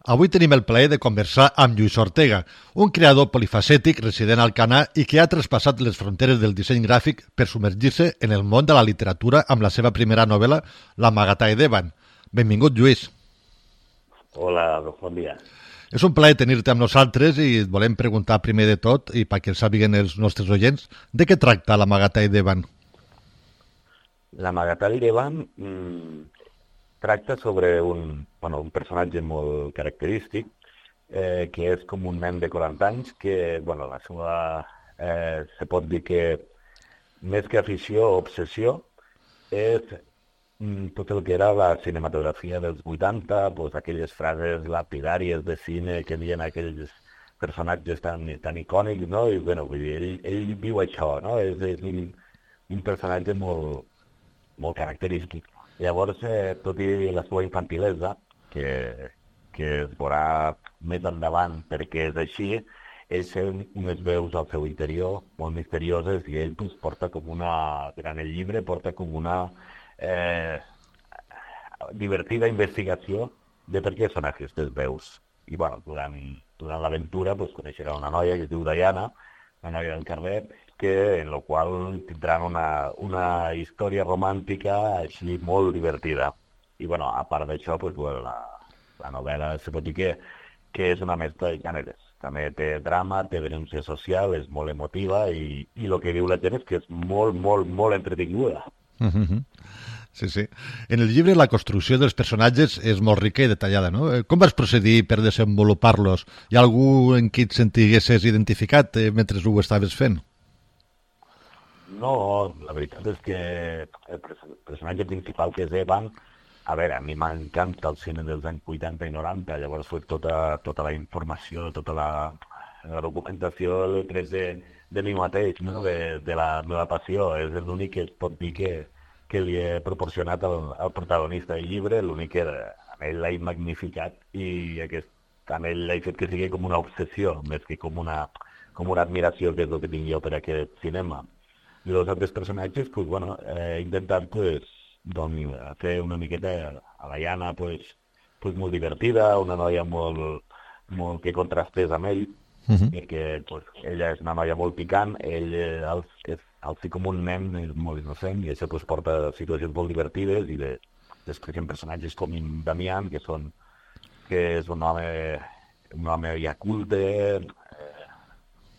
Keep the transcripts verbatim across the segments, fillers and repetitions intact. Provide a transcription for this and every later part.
Avui tenim el plaer de conversar amb Lluís Ortega, un creador polifacètic resident a Alcanar i que ha traspassat les fronteres del disseny gràfic per submergir-se en el món de la literatura amb la seva primera novel·la, La Magatai d'Evan. Benvingut, Lluís. Hola, bon dia. És un plaer tenir-te amb nosaltres i et volem preguntar primer de tot, i perquè el sàpiguen els nostres oients, de què tracta La Magatai d'Evan? La Magatai d'Evan mmm, tracta sobre un, bueno, un personatge molt característic, eh, que és com un nen de quaranta anys, que, bueno, la seva, eh, se pot dir que més que afició o obsessió, és mm, tot el que era la cinematografia dels vuitanta, pues, aquelles frases lapidàries de cine que havien aquells personatges tan, tan icònics, no? I, bueno, vull dir, ell, ell viu això, no? És, és un, un personatge molt, molt característic. Llavors, eh, tot i la seva infantilesa, que, que es veurà més endavant perquè és així, ell té unes veus al seu interior molt misterioses i ell pues, porta com una, durant el llibre, porta com una eh, divertida investigació de per què són aquestes veus. I bueno, durant, durant l'aventura pues, coneixerà una noia que es diu Diana, una noia del carrer, que, en la qual tindran una, una història romàntica així molt divertida. I bueno, a part d'això, pues, bueno, la, la novel·la se pot dir que, que és una mescla de gèneres. També té drama, té denúncia social, és molt emotiva i, i el que diu la gent és que és molt, molt, molt entretinguda. Mm-hmm. Sí, sí. En el llibre la construcció dels personatges és molt rica i detallada, no? Com vas procedir per desenvolupar-los? Hi ha algú en qui et sentiguessis identificat eh, mentre ho estaves fent? No, la veritat és que el personatge principal, que és Evan, a veure, a mi m'encanta el cine dels anys vuitanta i noranta, llavors fue tota, tota la informació, tota la, la documentació l'he pres de, de mi mateix, no? de, de la meva passió. És l'únic que es pot dir que, que li he proporcionat al, al protagonista del llibre, l'únic que amb ell l'he magnificat i aquest, amb ell l'he fet que sigui com una obsessió, més que com una, com una admiració, que és el que tinc jo per aquest cinema. I els altres personatges, pues, bueno, he intentat pues, doncs, fer una miqueta a la Diana pues, pues, molt divertida, una noia molt, molt que contrastés amb ell, uh-huh. perquè pues, ella és una noia molt picant, ell el, és el sí com un nen, és molt innocent, i això pues, porta a situacions molt divertides, i de, després hi ha personatges com en Damián, que, són, que és un home, un home ja culte,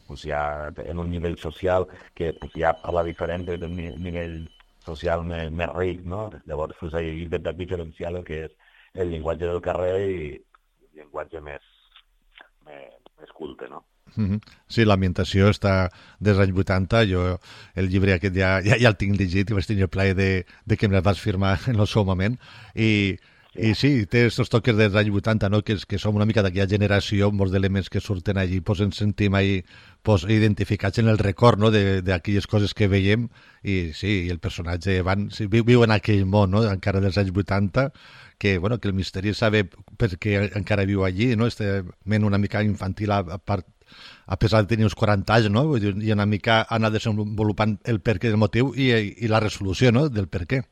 pues ja en un nivell social que pues, ja parla diferent d'un nivell social més, més ric, no? Llavors pues, he intentat diferenciar el que és el llenguatge del carrer i el llenguatge més, més, més culte, no? Mm-hmm. Sí, l'ambientació està dels anys vuitanta. Jo el llibre aquest ja, ja, ja el tinc llegit i vaig tenir el plaer de, de que me el vas firmar en el seu moment. I I sí, té aquests toques dels anys vuitanta, no? que, que som una mica d'aquella generació, molts elements que surten allí, pues ens sentim ahí pues, identificats en el record, no? d'aquelles coses que veiem, i sí, i el personatge van, sí, viu, viu en aquell món, no? encara dels anys vuitanta, que, bueno, que el misteri sabe perquè encara viu allí, no? Este ment una mica infantil a, a part, a pesar de tenir uns quaranta anys, no? I una mica anar desenvolupant el perquè del motiu i, i la resolució, no? del per què.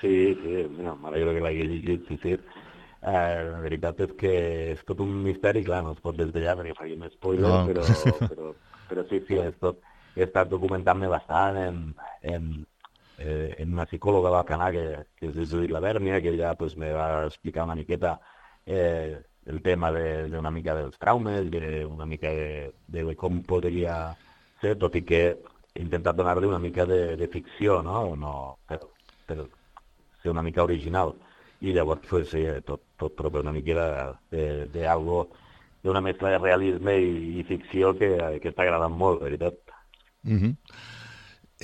Sí, sí, no, m'alegro que l'hagi llegit, sí, sí. Eh, la veritat és que és tot un misteri, clar, no es pot desvetllar perquè faríem spoilers, no. però, però, però sí, sí, és tot, he estat documentant-me bastant en, en, eh, en una psicòloga d'Alcanar, que, que és Judit Labèrnia, que ella pues, me va explicar una miqueta eh, el tema d'una de, mica dels traumes, de, una mica de, de com podria ser, tot i que he intentat donar-li una mica de, de ficció, no? no per, per, ser una mica original, i llavors pues, sí, tot, tot prové una mica d'algo, d'una mescla de realisme i, i ficció que, que està agradant molt, de veritat. Mm-hmm.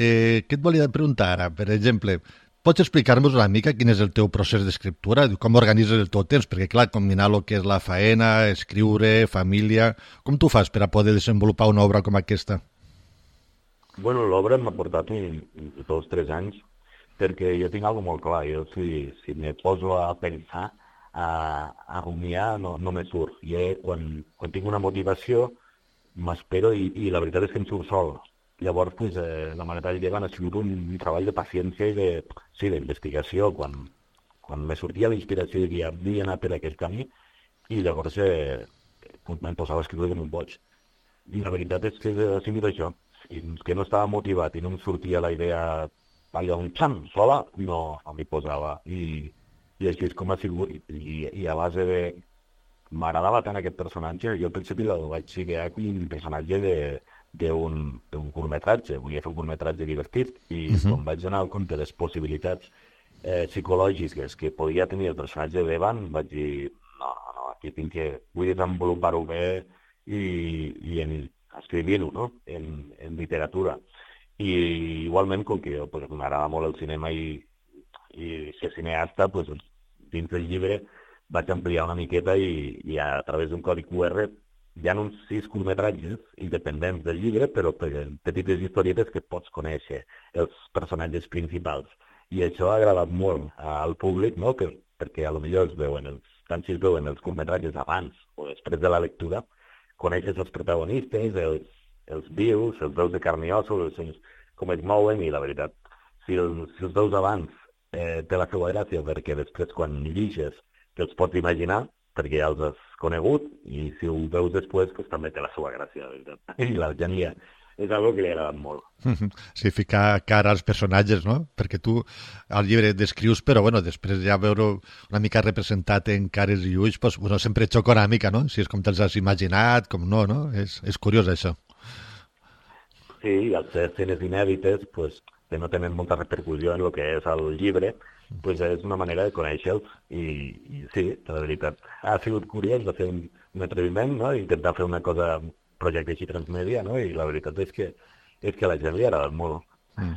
eh, què et volia preguntar ara? Per exemple, pots explicar-nos una mica quin és el teu procés d'escriptura, com organitzes el teu temps? Perquè, clar, combinar el que és la faena, escriure, família... Com tu fas per a poder desenvolupar una obra com aquesta? Bueno, l'obra m'ha portat dos o tres anys, perquè jo tinc alguna molt clar. Jo, si, si me poso a pensar, a, a rumiar, no, no me surt. I eh, quan, quan tinc una motivació, m'espero i, i la veritat és que em surt sol. Llavors, pues, eh, la Magatai d'Evan ha sigut un, un treball de paciència i de, sí, d'investigació. Quan, quan me sortia la inspiració de que havia d'anar per aquest camí, i llavors eh, em posava a escriure com un boig. I la veritat és que ha sigut això. Fins que no estava motivat i no em sortia la idea allò un xam, sola, no, no m'hi posava. I, I així és com ha sigut. I, i a base de... M'agradava tant aquest personatge, jo al principi el vaig seguir com un personatge de d'un curtmetratge, volia fer un curtmetratge divertit i uh -huh. quan vaig anar al compte de les possibilitats eh, psicològiques que podia tenir el personatge d'Evan, vaig dir, no, no, aquí tinc que, vull desenvolupar-ho bé i, i en, escrivint-ho, no?, en, en literatura. I igualment, com que jo pues, m'agrada molt el cinema i, i ser cineasta, pues, dins del llibre vaig ampliar una miqueta i, i a través d'un codi Q R hi ha uns sis curtmetratges independents del llibre, però petites historietes que pots conèixer els personatges principals. I això ha agradat molt al públic, no?, que, perquè a lo millor es veuen els, tant si es veuen els curtmetratges abans o després de la lectura, coneixes els protagonistes, els, els vius, els veus de carn i ossos, els, com es mouen, i la veritat, si els, si els veus abans eh, té la seva gràcia, perquè després quan lliges te'ls pots imaginar, perquè ja els has conegut, i si ho veus després, pues, també té la seva gràcia, la veritat. I la genia és algo que li ha agradat molt. Sí, ficar cara als personatges, no? Perquè tu al llibre descrius, però bueno, després ja veure una mica representat en cares i ulls, pues, bueno, sempre xoca una mica, no? Si és com te'ls has imaginat, com no, no? És, és curiós, això. Sí, al ser escenes inèdites, pues, que no tenen molta repercussió en el que és el llibre, pues és una manera de conèixer-los i, i sí, la veritat ha sigut curiós de fer un, un atreviment, no?, intentar fer una cosa, un projecte així transmèdia, no?, i la veritat és que és que a la gent li ha agradat molt. Mm.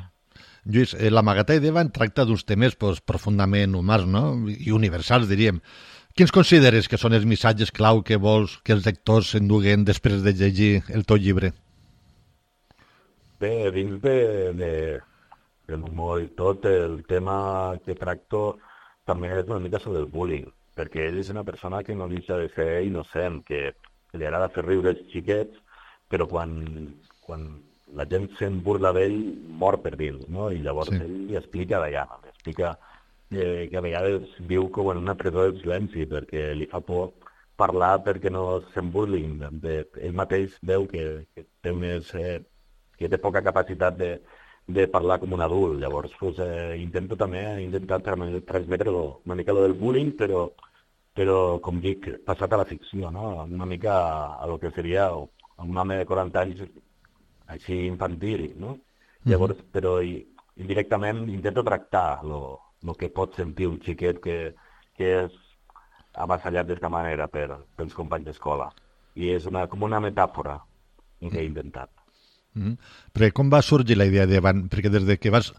Lluís, eh, l'Amagatall d'Evan tracta d'uns temes pues, profundament humans, no?, i universals, diríem. Quins consideres que són els missatges clau que vols que els lectors s'enduguen després de llegir el teu llibre? Bé, dins de, de l'humor i tot, el tema que tracto també és una mica sobre el bullying, perquè ell és una persona que no deixa de ser innocent, que li agrada fer riure els xiquets, però quan, quan la gent se'n burla d'ell, mor per dins, no? I llavors sí. Ell li explica d'allà, li explica eh, que a vegades viu com en una presó del silenci, perquè li fa por parlar perquè no se'n burlin. De, ell mateix veu que, que té més... Eh, que té poca capacitat de, de parlar com un adult. Llavors, pues, eh, intento també intentar transmetre una mica lo del bullying, però, però, com dic, passat a la ficció, no? Una mica a, a lo que seria un home de quaranta anys així infantil, no? Mm-hmm. Llavors, però i, indirectament intento tractar lo, lo que pot sentir un xiquet que, que és avassallat d'aquesta manera per, pels companys d'escola. I és una, com una metàfora que he intentat. Mm. Però com va sorgir la idea d'Evan? Perquè des de que vas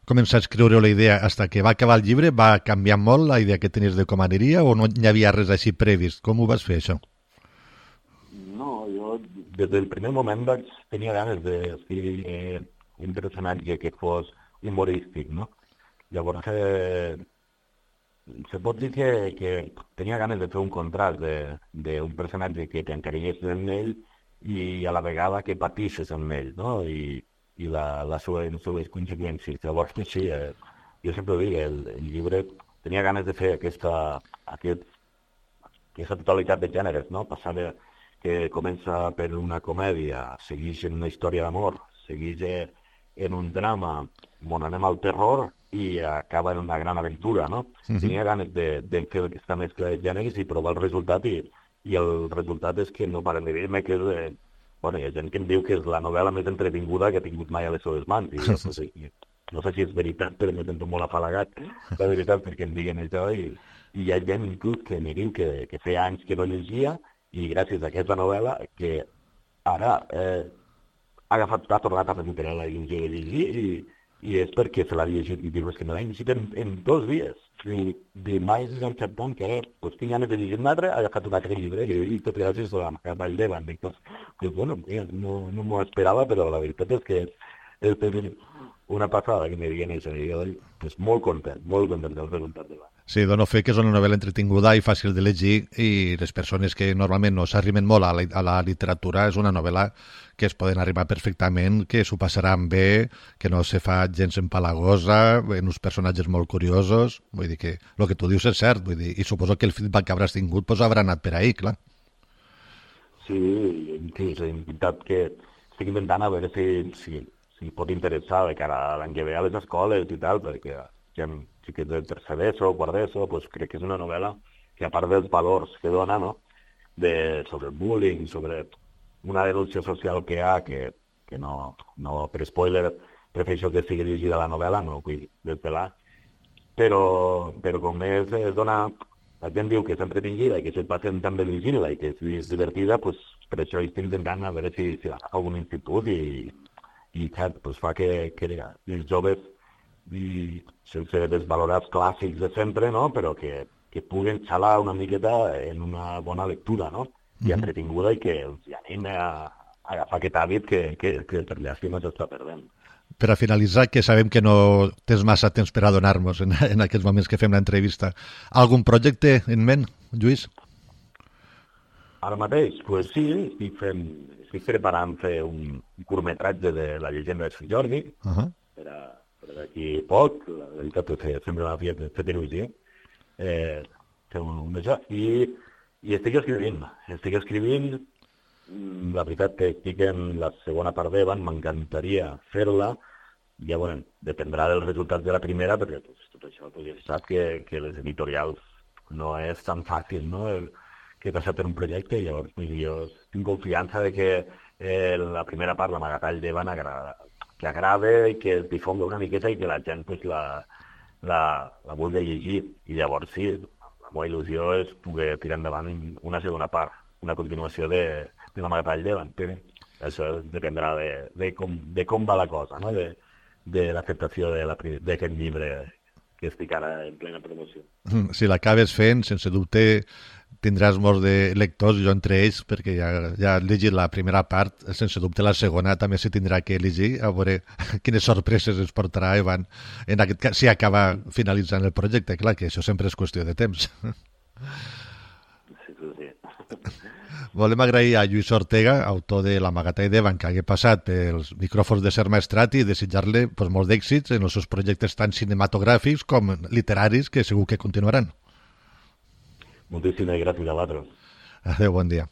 començar a escriure la idea fins que va acabar el llibre va canviar molt la idea que tenies de com aniria o no hi havia res així previst? Com ho vas fer, això? No, jo des del primer moment vaig tenir ganes d'escriure eh, un personatge que fos humorístic, no? Llavors, eh, se pot dir que, que tenia ganes de fer un contrast d'un personatge que t'encarinyés en ell i a la vegada que patisses amb ell, no? I, i la, la seva, les seves conseqüències. Llavors, sí, eh, jo sempre ho dic, el, el llibre tenia ganes de fer aquesta, aquest, aquesta totalitat de gèneres, no? Passar de, que comença per una comèdia, segueix en una història d'amor, segueix en un drama on anem al terror i acaba en una gran aventura, no? Uh-huh. Tenia ganes de, de fer aquesta mescla de gèneres i provar el resultat i i el resultat és que no paren de dir-me que és... Eh, bueno, hi ha gent que em diu que és la novel·la més entretinguda que ha tingut mai a les seves mans. I no sé, no sé si és veritat, però me sento molt afalagat, la veritat, perquè em diguen això. I, i hi ha gent inclús que me diu que, que feia anys que no llegia i gràcies a aquesta novel·la que ara eh, ha agafat, ha tornat a recuperar la il·lusió de llegir i, i és perquè se l'ha llegit i dius que me l'ha llegit en, en dos dies. I de mai és encertant que ara pues, tinc ganes de llegir un altre, ha agafat un altre llibre i, i tot gràcies a la Vall d'Evan. Dic, pues, bueno, no, no m'ho esperava, però la veritat és que és una passada que me diguin això. I jo, pues, molt content, molt content del resultat d'Evan. Sí, dono fe que és una novel·la entretinguda i fàcil de llegir i les persones que normalment no s'arrimen molt a la, a la literatura és una novel·la que es poden arribar perfectament, que s'ho passaran bé, que no se fa gens empalagosa, en uns personatges molt curiosos, vull dir que el que tu dius és cert, vull dir, i suposo que el feedback que hauràs tingut pues, haurà anat per ahí, clar. Sí, sí, és veritat que estic inventant a veure si, si, si pot interessar de cara a l'any que ve a les escoles i tal, perquè hi ha xiquets de tercer d'ESO, quart d'ESO, doncs crec que és una novel·la que a part dels valors que dona, no?, de, sobre el bullying, sobre una denúncia social que hi ha, que, que no, no, per spoiler, prefereixo que sigui dirigida a la novel·la, no vull desvelar, però, però com més es dona, la gent diu que és entretinguda i que se't passen també llegint-la i que és divertida, doncs per això estic intentant a veure si, si l'agafa algun institut i, i cert, doncs fa que, que els joves i sense desvalorats clàssics de sempre, no?, però que, que puguen xalar una miqueta en una bona lectura, no?, i entretinguda i que els anima a, a agafar aquest hàbit que, que, que per llàstima s'està perdent. Per a finalitzar, que sabem que no tens massa temps per a donar-nos en, en aquests moments que fem l'entrevista, algun projecte en ment, Lluís? Ara mateix? Doncs pues sí, estic, fent, estic preparant fer un curtmetratge de la llegenda de Sant Jordi, uh -huh. per a per d'aquí poc, la veritat és que sempre m'havia fet il·lusió, eh, fer un, un d'això, i, i estic escrivint, estic escrivint, la veritat que estic en la segona part d'Evan, m'encantaria fer-la, ja, bueno, dependrà dels resultats de la primera, perquè pues, tot això, pues, ja sap que, que les editorials no és tan fàcil, no?, el, que passar per un projecte, i llavors jo tinc confiança de que eh, la primera part, l'amagatall d'Evan, agrada, que agrada i que es difongui una miqueta i que la gent pues, la, la, la vulgui llegir. I llavors sí, la meva il·lusió és poder tirar endavant una segona part, una continuació de, de l'amagatall d'Evan. Això dependrà de, de, com, de com va la cosa, no?, de, de l'acceptació d'aquest llibre que estic ara en plena promoció. Si l'acabes fent, sense dubte tindràs molts de lectors, jo entre ells, perquè ja, ja he llegit la primera part, sense dubte la segona també se tindrà que llegir, a veure quines sorpreses ens portarà Evan, en aquest cas, si acaba finalitzant el projecte, clar, que això sempre és qüestió de temps. Sí, sí, sí. Volem agrair a Lluís Ortega, autor de l'Amagatall d'Evan, que hagués passat pels micròfons de Ser Maestrat i desitjar-li pues, molts d'èxits en els seus projectes tant cinematogràfics com literaris, que segur que continuaran. Moltíssimes gràcies a vosaltres. Adéu, bon dia.